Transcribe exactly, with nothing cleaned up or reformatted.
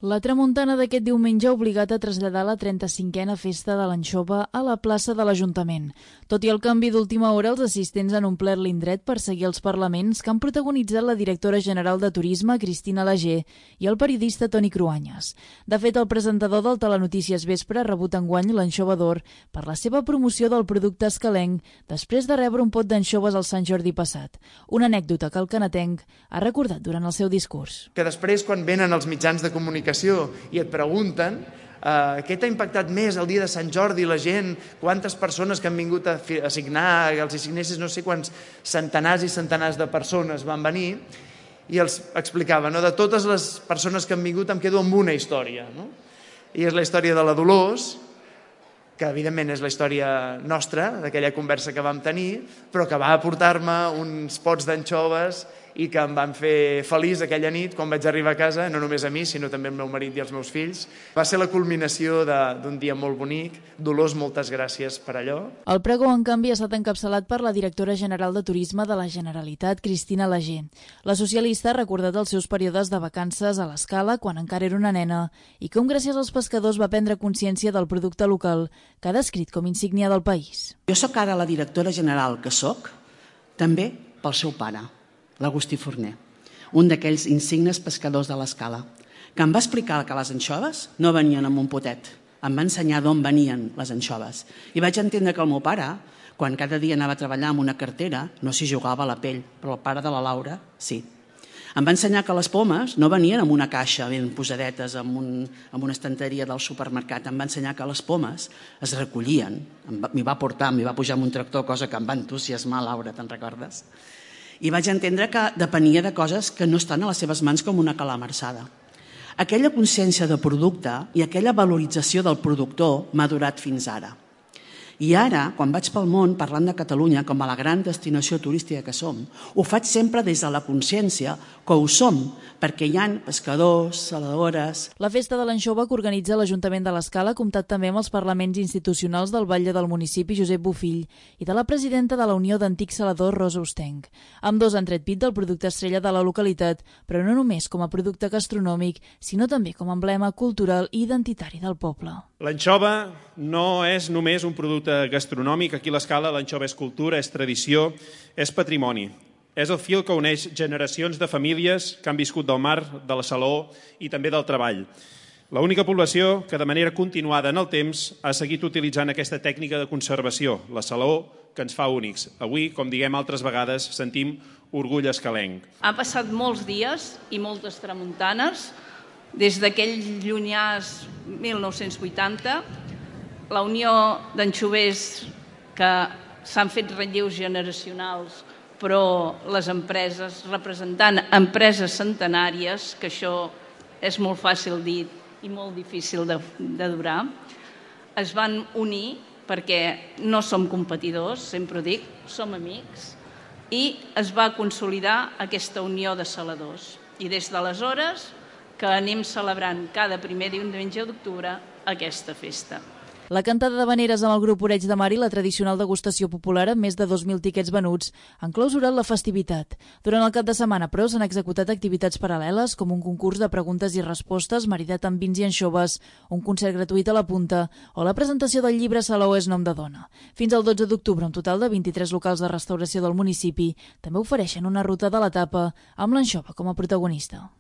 La tramuntana d'aquest diumenge ha obligat a traslladar la trenta-cinquena festa de l'anxova a la plaça de l'Ajuntament. Tot i el canvi d'última hora, els assistents han omplert l'indret per seguir els parlaments que han protagonitzat la directora general de Turisme, Cristina Lager, i el periodista Toni Cruanyes. De fet, el presentador del Telenotícies Vespre ha rebut enguany l'Anxova d'Or per la seva promoció del producte escalenc després de rebre un pot d'anxoves al Sant Jordi passat. Una anècdota que el canatenc ha recordat durant el seu discurs. Que després, quan venen els mitjans de comunicació i et pregunten uh, què t'ha impactat més el dia de Sant Jordi, la gent, quantes persones que han vingut a, a signar, els hi signessis no sé quants centenars i centenars de persones van venir, i els explicava, no? De totes les persones que han vingut em quedo amb una història, no? I és la història de la Dolors, que evidentment és la història nostra, d'aquella conversa que vam tenir, però que va aportar-me uns pots d'anxoves i que em van fer feliç aquella nit quan vaig arribar a casa, no només a mi, sinó també al meu marit i als meus fills. Va ser la culminació d'un dia molt bonic. Dolors, moltes gràcies per allò. El pregó, en canvi, ha estat encapçalat per la directora general de Turisme de la Generalitat, Cristina Lager. La socialista ha recordat els seus períodes de vacances a l'Escala quan encara era una nena i com gràcies als pescadors va prendre consciència del producte local que ha descrit com insígnia del país. Jo sóc ara la directora general que sóc, també pel seu pare, l'Agustí Forner, un d'aquells insignes pescadors de l'Escala, que em va explicar que les anxoves no venien amb un potet, em va ensenyar d'on venien les anxoves. I vaig entendre que el meu pare, quan cada dia anava a treballar amb una cartera, no s'hi jugava a la pell, però el pare de la Laura, sí. Em va ensenyar que les pomes no venien amb una caixa ben posadetes en, un, en una estanteria del supermercat. Em va ensenyar que les pomes es recollien. M'hi va portar, m'hi va pujar amb un tractor, cosa que em va entusiasmar, Laura, te'n recordes? I vaig entendre que depenia de coses que no estan a les seves mans com una calamarsada. Aquella consciència de producte i aquella valorització del productor m'ha durat fins ara. I ara, quan vaig pel món parlant de Catalunya com a la gran destinació turística que som, ho faig sempre des de la consciència que ho som, perquè hi ha pescadors, saladores... La festa de l'anxova que organitza l'Ajuntament de l'Escala ha comptat també amb els parlaments institucionals del batlle del municipi, Josep Bofill, i de la presidenta de la Unió d'Antics Saladors, Rosa Ostenc. Ambdós han tret pit del producte estrella de la localitat, però no només com a producte gastronòmic, sinó també com a emblema cultural i identitari del poble. L'anxova no és només un producte gastronòmic. Aquí a l'Escala l'anxova és cultura, és tradició, és patrimoni. És el fil que uneix generacions de famílies que han viscut del mar, de la saló i també del treball. L'única població que de manera continuada en el temps ha seguit utilitzant aquesta tècnica de conservació, la saló, que ens fa únics. Avui, com diguem altres vegades, sentim orgull escalenc. Ha passat molts dies i moltes tramuntanes. Des d'aquell llunyàs mil nou-cents vuitanta, la Unió d'Anxovers, que s'han fet relleus generacionals, però les empreses, representant empreses centenàries, que això és molt fàcil dir i molt difícil de, de durar, es van unir perquè no som competidors, sempre ho dic, som amics, i es va consolidar aquesta unió de saladors. I des d'aleshores que anem celebrant cada primer diumenge d'octubre aquesta festa. La cantada d'havaneres amb el grup Oreig de Mar i la tradicional degustació popular amb més de dos mil tiquets venuts han clausurat la festivitat. Durant el cap de setmana, però, s'han executat activitats paral·leles com un concurs de preguntes i respostes maridat amb vins i anxoves, un concert gratuït a la Punta o la presentació del llibre Salou és nom de dona. Fins al dotze d'octubre, un total de vint-i-tres locals de restauració del municipi també ofereixen una ruta de l'etapa amb l'anxova com a protagonista.